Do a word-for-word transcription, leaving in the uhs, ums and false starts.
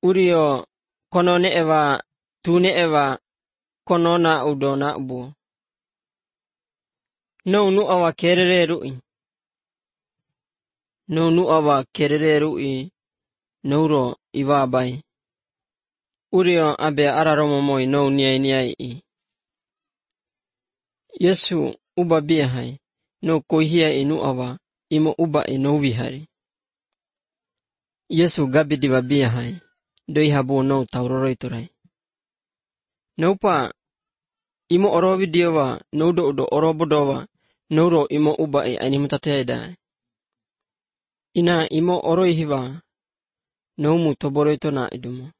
Urio konone ewa tune ewa konona udona ubu. No nu awa kerere rui. No nu awa kerere rui nouro iwa bai. Urio abe araromo moi no niai niai i. Yesu uba bihai no kohia inu awa imo uba e no wihari. Yesu gabi diwa bihai doi habu no tauroroi turai. Naupa imo oro videowa no do do oro bodowa nouro imo uba e animutateida. Ina imo oro hiwa no mu toboroito na idumo.